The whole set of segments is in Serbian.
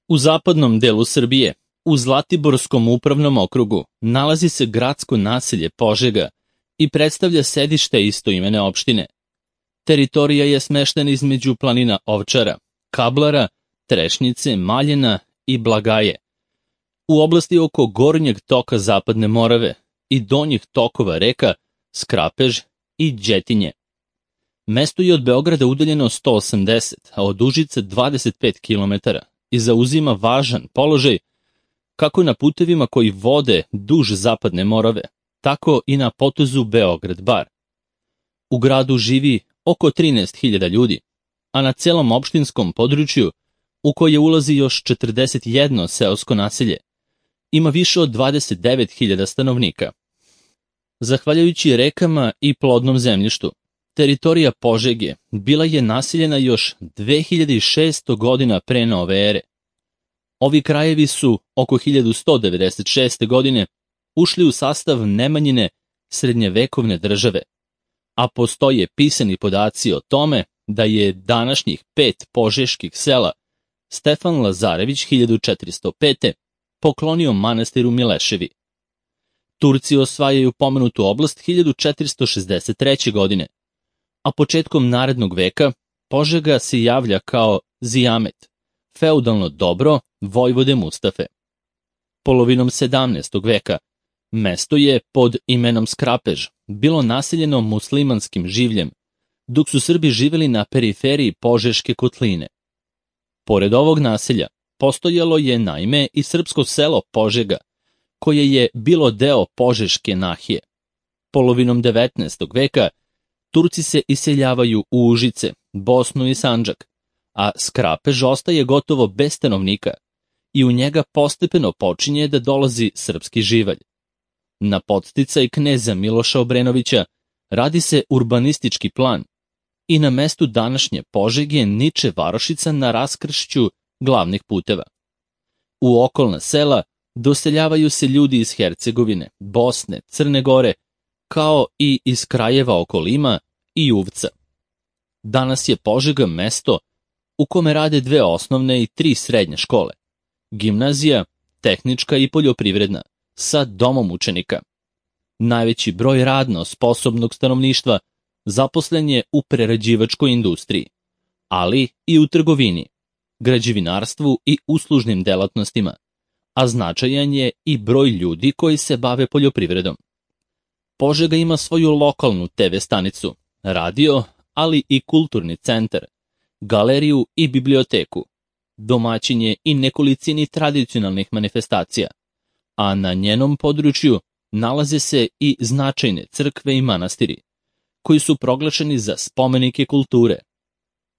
U zapadnom delu Srbije, u Zlatiborskom upravnom okrugu, nalazi se gradsko naselje Požega i predstavlja sedište istoimene opštine. Teritorija je smeštena između planina Ovčara, Kablara, Trešnjice, Maljena i Blagaje. U oblasti oko gornjeg toka Zapadne Morave i donjih tokova reka Skrapež i Đetinje. Mesto je od Beograda udaljeno 180, a od Užica 25 km i zauzima važan položaj kako na putevima koji vode duž Zapadne Morave, tako i na potezu Beograd-Bar. U gradu živi oko 13.000 ljudi, a na celom opštinskom području, u koje ulazi još 41 seosko naselje, ima više od 29.000 stanovnika. Zahvaljujući rekama i plodnom zemljištu, teritorija Požege bila je naseljena još 2600 godina pre nove ere. Ovi krajevi su oko 1196. godine ušli u sastav Nemanjine srednjevekovne države, a postoje pisani podaci o tome da je današnjih 5 požeških sela Stefan Lazarević 1405. poklonio manastiru Mileševi. Turci osvajaju pomenutu oblast 1463. godine, a početkom narednog veka Požega se javlja kao Zijamet, feudalno dobro vojvode Mustafe. Polovinom 17. veka mesto je pod imenom Skrapež bilo naseljeno muslimanskim življem, dok su Srbi živeli na periferiji Požeške kotline. Pored ovog naselja postojalo je naime i srpsko selo Požega, koje je bilo deo Požeške nahije. Polovinom 19. veka Turci se iseljavaju u Užice, Bosnu i Sandžak, a Skrapež ostaje gotovo bez stanovnika i u njega postepeno počinje da dolazi srpski živalj. Na podsticaj kneza Miloša Obrenovića radi se urbanistički plan i na mestu današnje Požege niče varošica na raskršću glavnih puteva. U okolna sela doseljavaju se ljudi iz Hercegovine, Bosne, Crne Gore, kao i iz krajeva oko Lima i Uvca. Danas je Požega mesto u kome rade 2 osnovne i 3 srednje škole, gimnazija, tehnička i poljoprivredna, sa domom učenika. Najveći broj radno sposobnog stanovništva zaposlen je u prerađivačkoj industriji, ali i u trgovini, građevinarstvu i uslužnim delatnostima, a značajan je i broj ljudi koji se bave poljoprivredom. Požega ima svoju lokalnu TV stanicu, radio, ali i kulturni centar, galeriju i biblioteku, domaćin je i nekolicini tradicionalnih manifestacija, a na njenom području nalaze se i značajne crkve i manastiri, koji su proglašeni za spomenike kulture.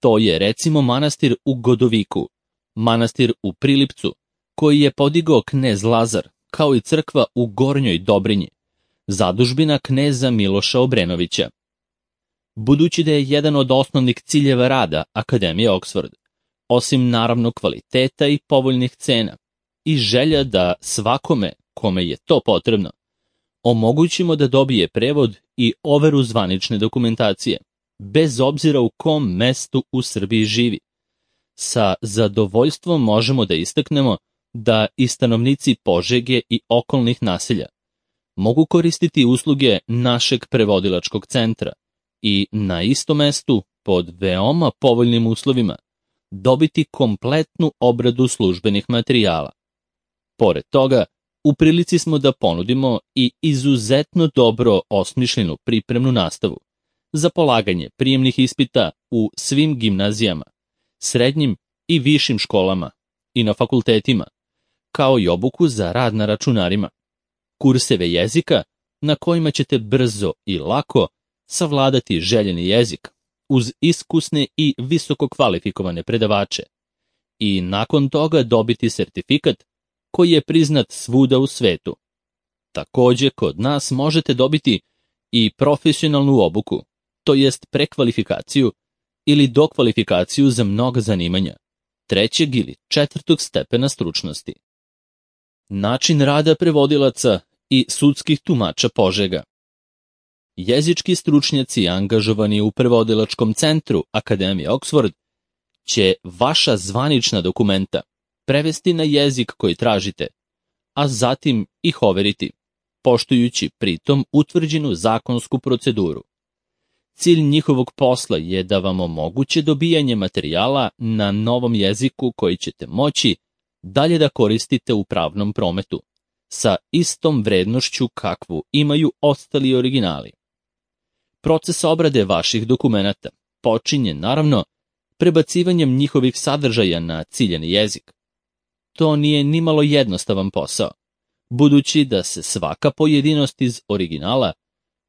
To je recimo manastir u Godoviku, manastir u Prilipcu, koji je podigao knez Lazar, kao i crkva u Gornjoj Dobrinji, zadužbina kneza Miloša Obrenovića. Budući da je jedan od osnovnih ciljeva rada Akademije Oksford, osim naravno kvaliteta i povoljnih cena, i želja da svakome, kome je to potrebno, omogućimo da dobije prevod i overu zvanične dokumentacije, bez obzira u kom mestu u Srbiji živi. Sa zadovoljstvom možemo da istaknemo da i stanovnici Požege i okolnih naselja mogu koristiti usluge našeg prevodilačkog centra i na istom mestu, pod veoma povoljnim uslovima, dobiti kompletnu obradu službenih materijala. Pored toga, u prilici smo da ponudimo i izuzetno dobro osmišljenu pripremnu nastavu za polaganje prijemnih ispita u svim gimnazijama, srednjim i višim školama i na fakultetima, kao i obuku za rad na računarima, kurseve jezika na kojima ćete brzo i lako savladati željeni jezik uz iskusne i visoko kvalifikovane predavače i nakon toga dobiti sertifikat koji je priznat svuda u svetu. Takođe, kod nas možete dobiti i profesionalnu obuku, to jest prekvalifikaciju ili dokvalifikaciju za mnoga zanimanja, 3. ili 4. stepena stručnosti. Način rada prevodilaca i sudskih tumača Požega. Jezički stručnjaci angažovani u prevodilačkom centru Akademije Oksford će vaša zvanična dokumenta, prevesti na jezik koji tražite, a zatim ih overiti, poštujući pritom utvrđenu zakonsku proceduru. Cilj njihovog posla je da vam omoguće dobijanje materijala na novom jeziku koji ćete moći dalje da koristite u pravnom prometu, sa istom vrednošću kakvu imaju ostali originali. Proces obrade vaših dokumenata počinje, naravno, prebacivanjem njihovih sadržaja na ciljani jezik. To nije nimalo jednostavan posao, budući da se svaka pojedinost iz originala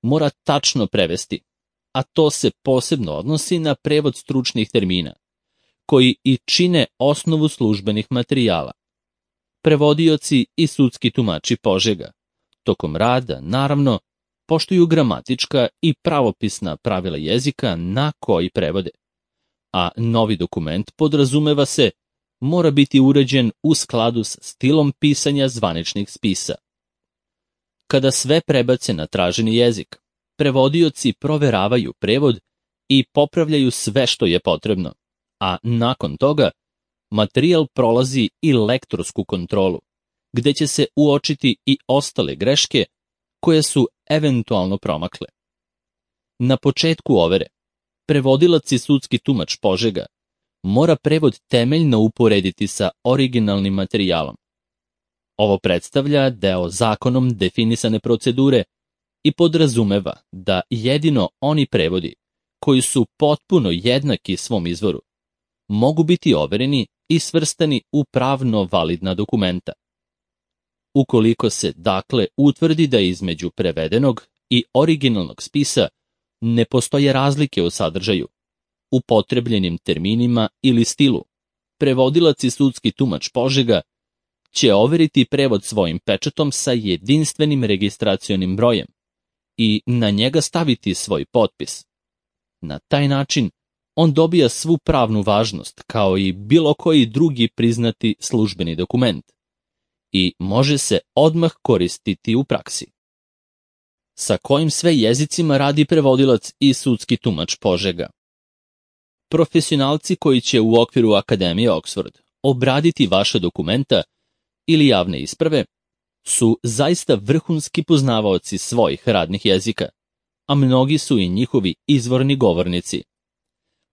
mora tačno prevesti, a to se posebno odnosi na prevod stručnih termina, koji i čine osnovu službenih materijala. Prevodioci i sudski tumači Požega tokom rada, naravno, poštuju gramatička i pravopisna pravila jezika na koji prevode, a novi dokument, podrazumeva se, mora biti uređen u skladu s stilom pisanja zvaničnih spisa. Kada sve prebace na traženi jezik, prevodioci proveravaju prevod i popravljaju sve što je potrebno, a nakon toga materijal prolazi i lektorsku kontrolu, gde će se uočiti i ostale greške koje su eventualno promakle. Na početku overe, prevodilac i sudski tumač Požega mora prevod temeljno uporediti sa originalnim materijalom. Ovo predstavlja deo zakonom definisane procedure i podrazumeva da jedino oni prevodi, koji su potpuno jednaki svom izvoru, mogu biti overeni i svrstani u pravno validna dokumenta. Ukoliko se, dakle, utvrdi da između prevedenog i originalnog spisa ne postoje razlike u sadržaju, upotrebljenim terminima ili stilu, prevodilac i sudski tumač Požega će overiti prevod svojim pečatom sa jedinstvenim registracionim brojem i na njega staviti svoj potpis. Na taj način on dobija svu pravnu važnost kao i bilo koji drugi priznati službeni dokument i može se odmah koristiti u praksi. Sa kojim sve jezicima radi prevodilac i sudski tumač Požega? Profesionalci koji će u okviru Akademije Oxford obraditi vaše dokumenta ili javne isprave su zaista vrhunski poznavaoci svojih radnih jezika, a mnogi su i njihovi izvorni govornici.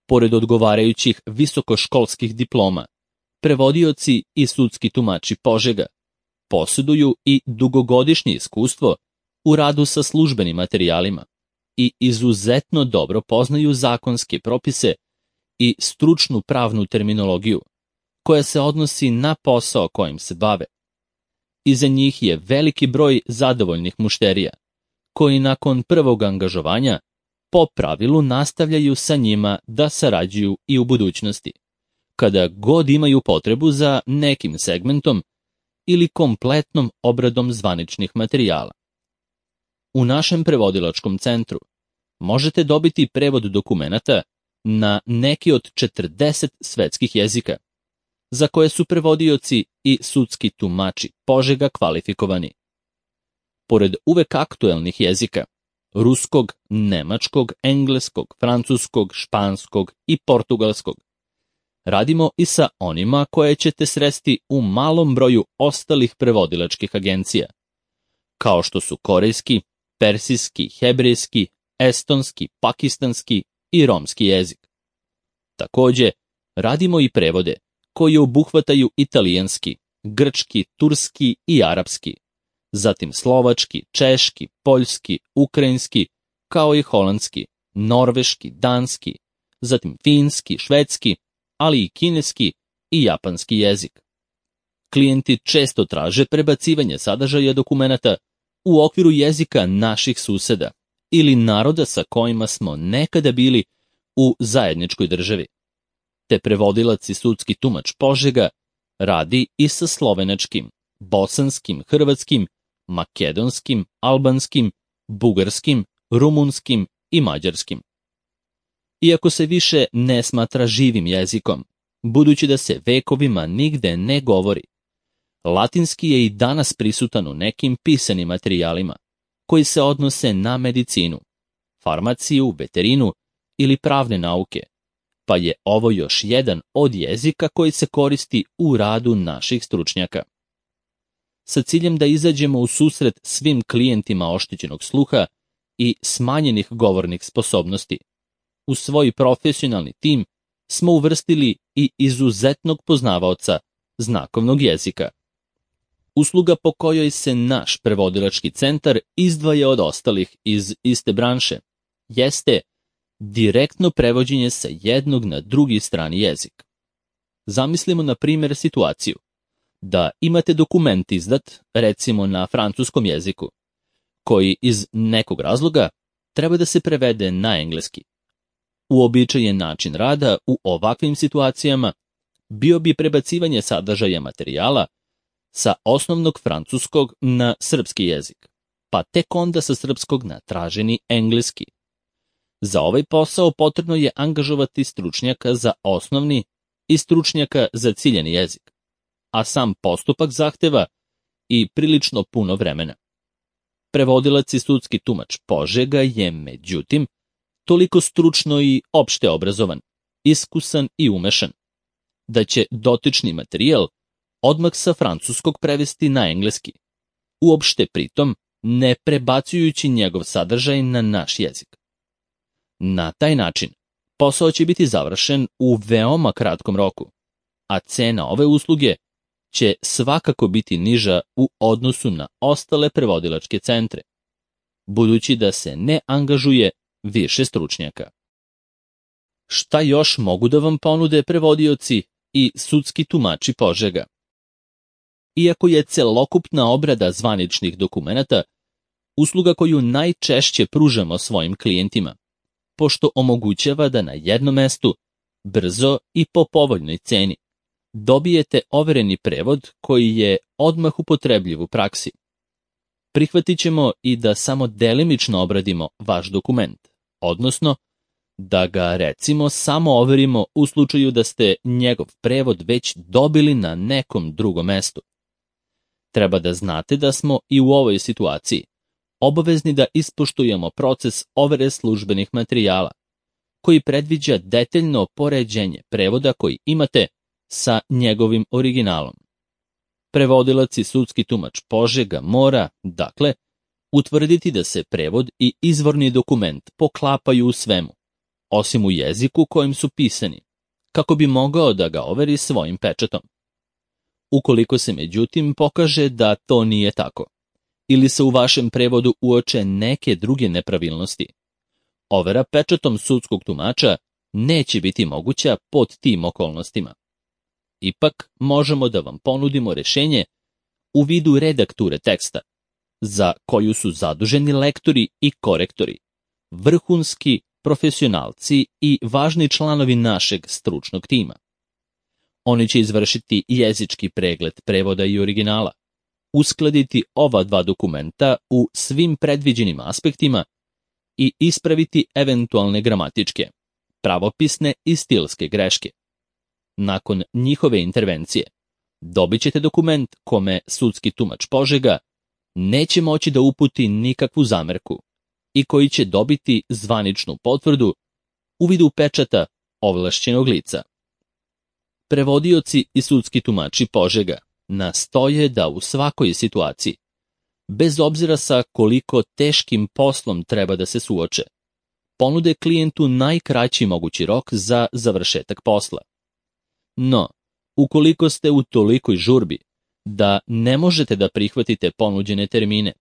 Pored odgovarajućih visokoškolskih diploma, prevodioci i sudski tumači Požega posjeduju i dugogodišnje iskustvo u radu sa službenim materijalima i izuzetno dobro poznaju zakonske propise i stručnu pravnu terminologiju, koja se odnosi na posao kojim se bave. Iza njih je veliki broj zadovoljnih mušterija, koji nakon prvog angažovanja po pravilu nastavljaju sa njima da sarađuju i u budućnosti, kada god imaju potrebu za nekim segmentom ili kompletnom obradom zvaničnih materijala. U našem prevodilačkom centru možete dobiti prevod dokumenata na neki od 40 svetskih jezika, za koje su prevodioci i sudski tumači Požega kvalifikovani. Pored uvek aktuelnih jezika, ruskog, nemačkog, engleskog, francuskog, španskog i portugalskog, radimo i sa onima koje ćete sresti u malom broju ostalih prevodilačkih agencija, kao što su korejski, persijski, hebrejski, estonski, pakistanski i romski jezik. Takođe, radimo i prevode koji obuhvataju italijanski, grčki, turski i arapski, zatim slovački, češki, poljski, ukrajinski, kao i holandski, norveški, danski, zatim finski, švedski, ali i kineski i japanski jezik. Klijenti često traže prebacivanje sadržaja dokumenata u okviru jezika naših suseda ili naroda sa kojima smo nekada bili u zajedničkoj državi. Te prevodilac i sudski tumač Požega radi i sa slovenačkim, bosanskim, hrvatskim, makedonskim, albanskim, bugarskim, rumunskim i mađarskim. Iako se više ne smatra živim jezikom, budući da se vekovima nigde ne govori, latinski je i danas prisutan u nekim pisanim materijalima koji se odnose na medicinu, farmaciju, veterinu ili pravne nauke, pa je ovo još jedan od jezika koji se koristi u radu naših stručnjaka. Sa ciljem da izađemo u susret svim klijentima oštećenog sluha i smanjenih govornih sposobnosti, u svoj profesionalni tim smo uvrstili i izuzetnog poznavaoca znakovnog jezika. Usluga po kojoj se naš prevodilački centar izdvaja od ostalih iz iste branše jeste direktno prevođenje sa jednog na drugi strani jezik. Zamislimo na primjer situaciju da imate dokument izdat, recimo na francuskom jeziku, koji iz nekog razloga treba da se prevede na engleski. Uobičajen način rada u ovakvim situacijama bio bi prebacivanje sadržaja materijala sa osnovnog francuskog na srpski jezik, pa tek onda sa srpskog na traženi engleski. Za ovaj posao potrebno je angažovati stručnjaka za osnovni i stručnjaka za ciljani jezik, a sam postupak zahteva i prilično puno vremena. Prevodilac i sudski tumač Požega je, međutim, toliko stručno i opšte obrazovan, iskusan i umešan, da će dotični materijal odmah sa francuskog prevesti na engleski, uopšte pritom ne prebacujući njegov sadržaj na naš jezik. Na taj način posao će biti završen u veoma kratkom roku, a cena ove usluge će svakako biti niža u odnosu na ostale prevodilačke centre, budući da se ne angažuje više stručnjaka. Šta još mogu da vam ponude prevodioci i sudski tumači Požega? Iako je celokupna obrada zvaničnih dokumenata usluga koju najčešće pružamo svojim klijentima, pošto omogućava da na jednom mestu, brzo i po povoljnoj ceni, dobijete overeni prevod koji je odmah upotrebljiv u praksi. Prihvatit ćemo i da samo delimično obradimo vaš dokument, odnosno da ga recimo samo overimo u slučaju da ste njegov prevod već dobili na nekom drugom mestu. Treba da znate da smo i u ovoj situaciji obavezni da ispoštujemo proces overe službenih materijala, koji predviđa detaljno poređenje prevoda koji imate sa njegovim originalom. Prevodilac i sudski tumač Požega mora, dakle, utvrditi da se prevod i izvorni dokument poklapaju u svemu, osim u jeziku kojim su pisani, kako bi mogao da ga overi svojim pečatom. Ukoliko se međutim pokaže da to nije tako, ili se u vašem prevodu uoče neke druge nepravilnosti, overa pečatom sudskog tumača neće biti moguća pod tim okolnostima. Ipak možemo da vam ponudimo rešenje u vidu redakture teksta, za koju su zaduženi lektori i korektori, vrhunski profesionalci i važni članovi našeg stručnog tima. Oni će izvršiti jezički pregled prevoda i originala, uskladiti ova dva dokumenta u svim predviđenim aspektima i ispraviti eventualne gramatičke, pravopisne i stilske greške. Nakon njihove intervencije dobit ćete dokument kome sudski tumač Požega neće moći da uputi nikakvu zamerku i koji će dobiti zvaničnu potvrdu u vidu pečata ovlašćenog lica. Prevodioci i sudski tumači Požega nastoje da u svakoj situaciji, bez obzira sa koliko teškim poslom treba da se suoče, ponude klijentu najkraći mogući rok za završetak posla. No, ukoliko ste u tolikoj žurbi da ne možete da prihvatite ponuđene termine,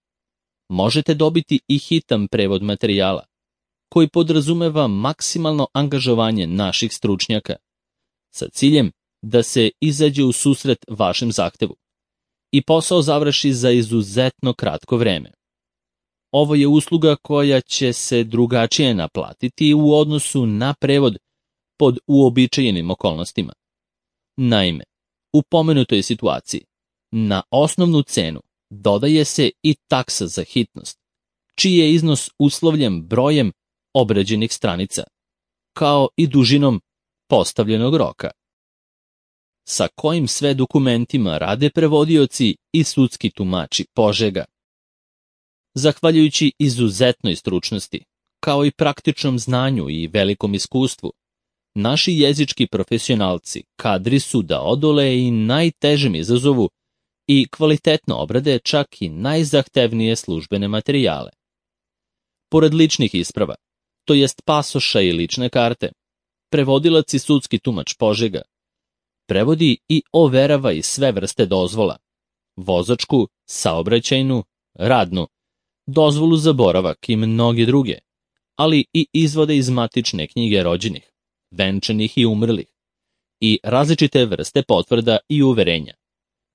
možete dobiti i hitan prevod materijala, koji podrazumeva maksimalno angažovanje naših stručnjaka, sa ciljem da se izađe u susret vašem zahtevu i posao završi za izuzetno kratko vreme. Ovo je usluga koja će se drugačije naplatiti u odnosu na prevod pod uobičajenim okolnostima. Naime, u pomenutoj situaciji, na osnovnu cenu dodaje se i taksa za hitnost, čiji je iznos uslovljen brojem obrađenih stranica, kao i dužinom postavljenog roka. Sa kojim sve dokumentima rade prevodioci i sudski tumači Požega? Zahvaljujući izuzetnoj stručnosti, kao i praktičnom znanju i velikom iskustvu, Naši jezički profesionalci kadri su da odole i najtežem izazovu i kvalitetno obrade čak i najzahtevnije službene materijale. Pored ličnih isprava, to jest pasoša i lične karte, prevodilac i sudski tumač Požega prevodi i overava i sve vrste dozvola: vozačku, saobraćajnu, radnu, dozvolu za boravak i mnoge druge, ali i izvode iz matične knjige rođenih, venčanih i umrlih, i različite vrste potvrda i uverenja,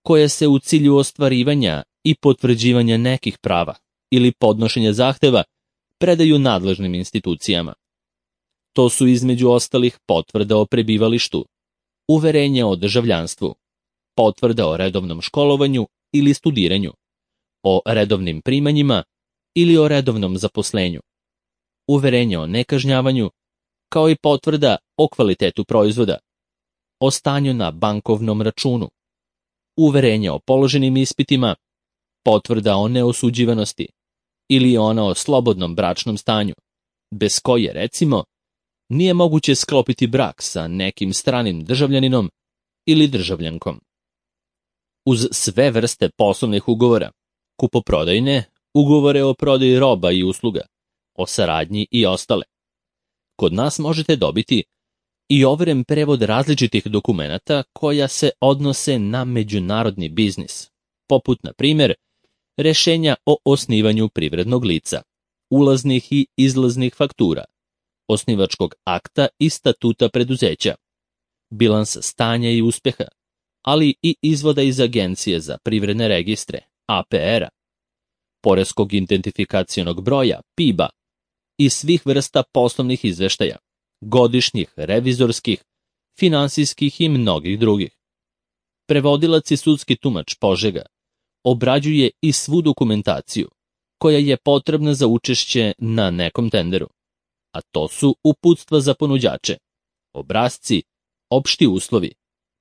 koje se u cilju ostvarivanja i potvrđivanja nekih prava ili podnošenja zahteva predaju nadležnim institucijama. To su između ostalih potvrda o prebivalištu, uverenja o državljanstvu, potvrda o redovnom školovanju ili studiranju, o redovnim primanjima ili o redovnom zaposlenju, uverenja o nekažnjavanju, kao i potvrda o kvalitetu proizvoda, o stanju na bankovnom računu, uverenja o položenim ispitima, potvrda o neosuđivanosti ili ona o slobodnom bračnom stanju, bez koje, recimo, nije moguće sklopiti brak sa nekim stranim državljaninom ili državljankom. Uz sve vrste poslovnih ugovora, kupoprodajne, ugovore o prodaji roba i usluga, o saradnji i ostale, kod nas možete dobiti i overen prevod različitih dokumenata koja se odnose na međunarodni biznis, poput, na primjer, rešenja o osnivanju privrednog lica, ulaznih i izlaznih faktura, osnivačkog akta i statuta preduzeća, bilansa stanja i uspeha, ali i izvoda iz Agencije za privredne registre, APR-a, poreskog identifikacionog broja, PIB-a, i svih vrsta poslovnih izveštaja, godišnjih, revizorskih, finansijskih i mnogih drugih. Prevodilac i sudski tumač Požega obrađuje i svu dokumentaciju koja je potrebna za učešće na nekom tenderu, a to su uputstva za ponuđače, obrasci, opšti uslovi,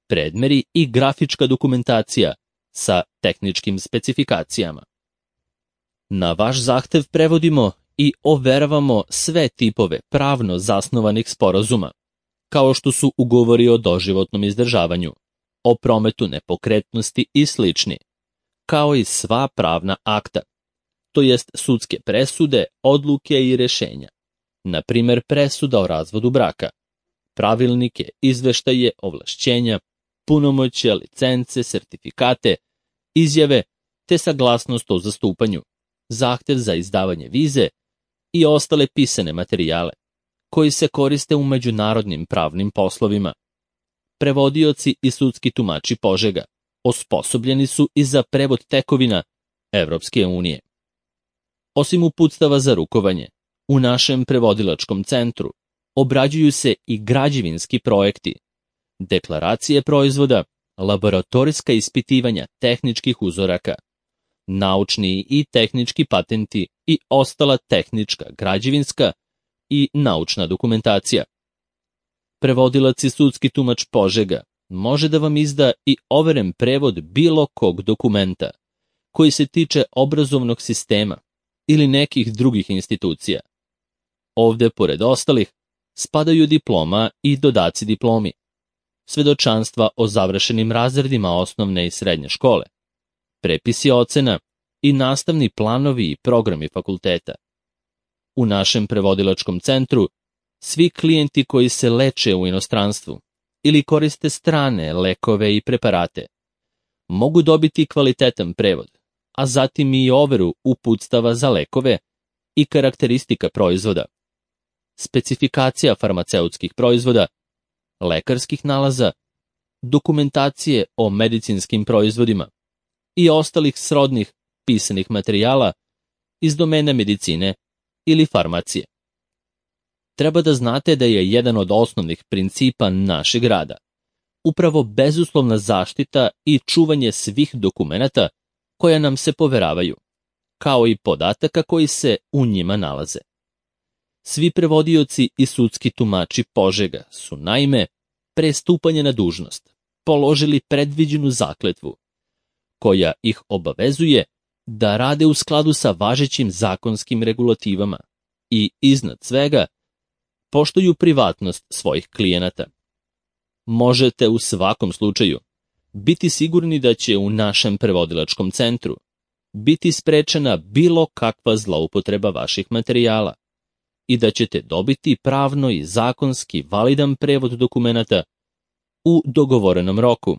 predmeri i grafička dokumentacija sa tehničkim specifikacijama. Na vaš zahtev prevodimo i overavamo sve tipove pravno zasnovanih sporazuma, kao što su ugovori o doživotnom izdržavanju, o prometu nepokretnosti i slični, kao i sva pravna akta, to jest sudske presude, odluke i rešenja, na primer presuda o razvodu braka, pravilnike, izveštaje, ovlašćenja, punomoćja, licence, sertifikate, izjave te saglasnost o zastupanju, zahtev za izdavanje vize i ostale pisane materijale koji se koriste u međunarodnim pravnim poslovima. Prevodioci i sudski tumači Požega osposobljeni su i za prevod tekovina Evropske unije. Osim uputstava za rukovanje, u našem prevodilačkom centru obrađuju se i građevinski projekti, deklaracije proizvoda, laboratorijska ispitivanja tehničkih uzoraka, naučni i tehnički patenti i ostala tehnička, građevinska i naučna dokumentacija. Prevodilac i sudski tumač Požega može da vam izda i overen prevod bilo kog dokumenta koji se tiče obrazovnog sistema ili nekih drugih institucija. Ovde, pored ostalih, spadaju diploma i dodaci diplomi, svedočanstva o završenim razredima osnovne i srednje škole, prepisi ocena i nastavni planovi i programi fakulteta. U našem prevodilačkom centru svi klijenti koji se leče u inostranstvu ili koriste strane lekove i preparate mogu dobiti kvalitetan prevod, a zatim i overu uputstava za lekove i karakteristika proizvoda, specifikacija farmaceutskih proizvoda, lekarskih nalaza, dokumentacije o medicinskim proizvodima i ostalih srodnih pisanih materijala iz domena medicine ili farmacije. Treba da znate da je jedan od osnovnih principa našeg rada upravo bezuslovna zaštita i čuvanje svih dokumenata koja nam se poveravaju, kao i podataka koji se u njima nalaze. Svi prevodioci i sudski tumači Požega su, naime, pre stupanja na dužnost položili predviđenu zakletvu, koja ih obavezuje da rade u skladu sa važećim zakonskim regulativama i, iznad svega, poštuju privatnost svojih klijenata. Možete u svakom slučaju biti sigurni da će u našem prevodilačkom centru biti sprečena bilo kakva zloupotreba vaših materijala i da ćete dobiti pravno i zakonski validan prevod dokumenata u dogovorenom roku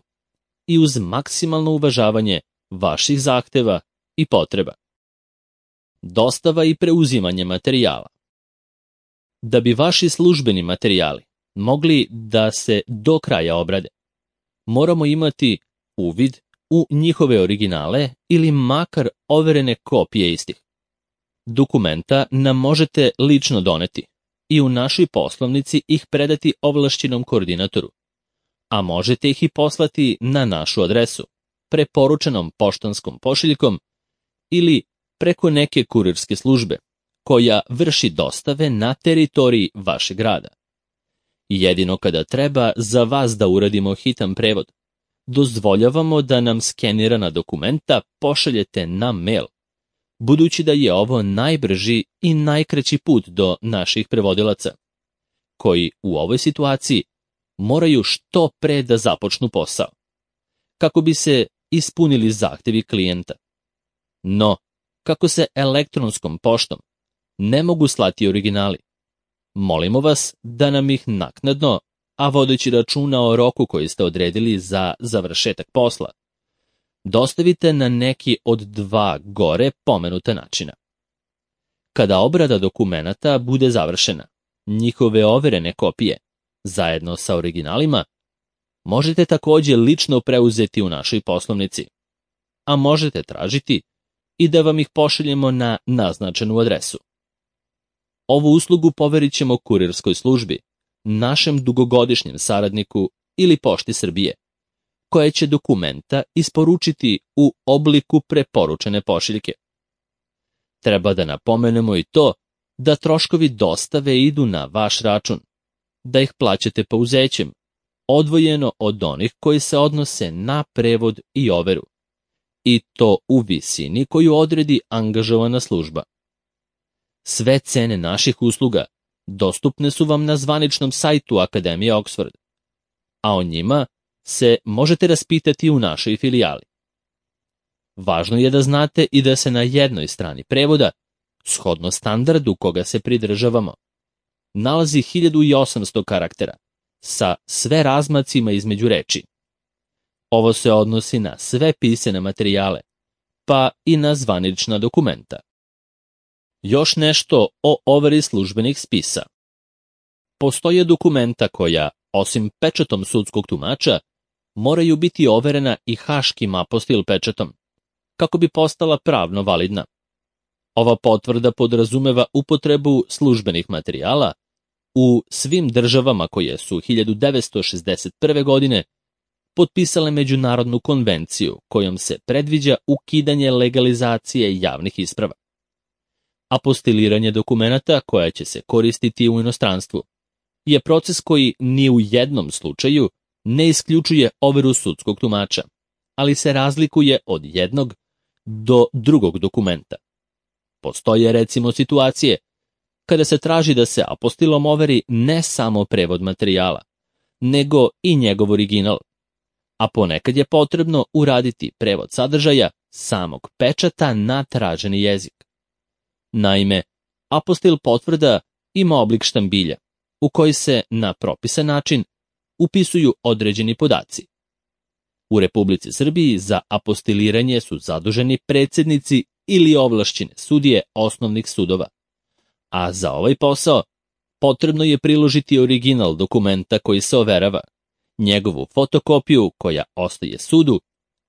i uz maksimalno uvažavanje vaših zahteva i potreba. Dostava i preuzimanje materijala. Da bi vaši službeni materijali mogli da se do kraja obrade, moramo imati uvid u njihove originale ili makar overene kopije istih. Dokumenta nam možete lično doneti i u našoj poslovnici ih predati ovlašćenom koordinatoru, a možete ih i poslati na našu adresu, preporučenom poštanskom pošiljkom ili preko neke kurirske službe, koja vrši dostave na teritoriji vašeg grada. Jedino kada treba za vas da uradimo hitan prevod, dozvoljavamo da nam skenirana dokumenta pošaljete na mail, budući da je ovo najbrži i najkraći put do naših prevodilaca, koji u ovoj situaciji moraju što pre da započnu posao, kako bi se ispunili zahtevi klijenta. No, kako se elektronskom poštom ne mogu slati originali, molimo vas da nam ih naknadno, a vodeći računa o roku koji ste odredili za završetak posla, dostavite na neki od dva gore pomenuta načina. Kada obrada dokumenata bude završena, njihove overene kopije, zajedno sa originalima, možete također lično preuzeti u našoj poslovnici, a možete tražiti i da vam ih pošaljemo na naznačenu adresu. Ovu uslugu poverit ćemo kurirskoj službi, našem dugogodišnjem saradniku ili Pošti Srbije, koja će dokumenta isporučiti u obliku preporučene pošiljke. Treba da napomenemo i to da troškovi dostave idu na vaš račun, da ih plaćate pouzećem, odvojeno od onih koji se odnose na prevod i overu, i to u visini koju odredi angažovana služba. Sve cene naših usluga dostupne su vam na zvaničnom sajtu Akademije Oxford, a o njima se možete raspitati u našoj filijali. Važno je da znate i da se na jednoj strani prevoda, shodno standardu koga se pridržavamo, nalazi 1800 karaktera sa sve razmacima između reči. Ovo se odnosi na sve pisane materijale, pa i na zvanična dokumenta. Još nešto o overi službenih spisa. Postoje dokumenta koja, osim pečatom sudskog tumača, moraju biti overena i haškim apostil pečatom, kako bi postala pravno validna. Ova potvrda podrazumeva upotrebu službenih materijala u svim državama koje su 1961. godine potpisale međunarodnu konvenciju kojom se predviđa ukidanje legalizacije javnih isprava. Apostiliranje dokumenata koja će se koristiti u inostranstvu je proces koji ni u jednom slučaju ne isključuje overu sudskog tumača, ali se razlikuje od jednog do drugog dokumenta. Postoje recimo situacije kada se traži da se apostilom overi ne samo prevod materijala, nego i njegov original, a ponekad je potrebno uraditi prevod sadržaja samog pečata na traženi jezik. Naime, apostil potvrda ima oblik štambilja, u koji se na propisan način upisuju određeni podaci. U Republici Srbiji za apostiliranje su zaduženi predsjednici ili ovlašćene sudije osnovnih sudova, a za ovaj posao potrebno je priložiti original dokumenta koji se overava, njegovu fotokopiju koja ostaje sudu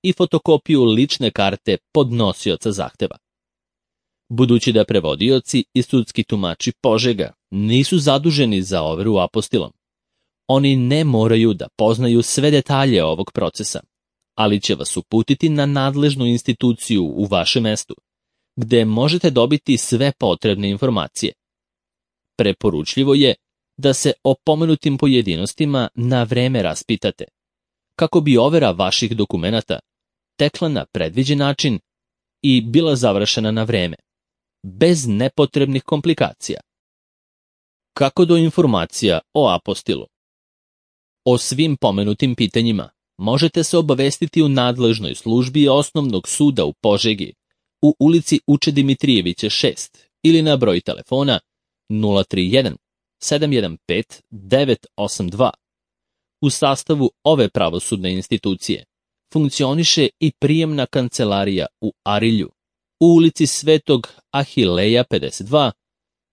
i fotokopiju lične karte podnosioca zahteva. Budući da prevodioci i sudski tumači Požega nisu zaduženi za overu apostilom, oni ne moraju da poznaju sve detalje ovog procesa, ali će vas uputiti na nadležnu instituciju u vašem mestu, gde možete dobiti sve potrebne informacije. Preporučljivo je da se o pomenutim pojedinostima na vreme raspitate, kako bi overa vaših dokumenata tekla na predviđen način i bila završena na vreme, bez nepotrebnih komplikacija. Kako do informacija o apostilu? O svim pomenutim pitanjima možete se obavestiti u nadležnoj službi Osnovnog suda u Požegi, u ulici Uče Dimitrijevića 6 ili na broj telefona 031 715 982. U sastavu ove pravosudne institucije funkcioniše i prijemna kancelarija u Arilju, u ulici Svetog Ahileja 52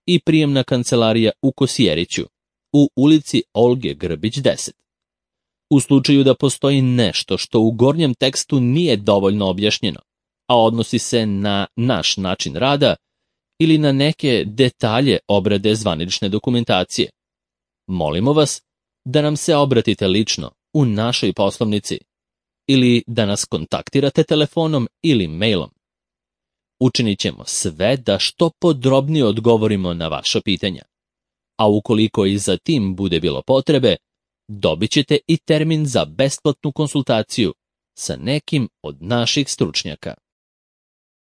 i prijemna kancelarija u Kosjeriću, u ulici Olge Grbić 10. U slučaju da postoji nešto što u gornjem tekstu nije dovoljno objašnjeno, a odnosi se na naš način rada ili na neke detalje obrade zvanične dokumentacije, molimo vas da nam se obratite lično u našoj poslovnici ili da nas kontaktirate telefonom ili mailom. Učinit ćemo sve da što podrobnije odgovorimo na vaša pitanja, a ukoliko i za tim bude bilo potrebe, dobit ćete i termin za besplatnu konsultaciju sa nekim od naših stručnjaka.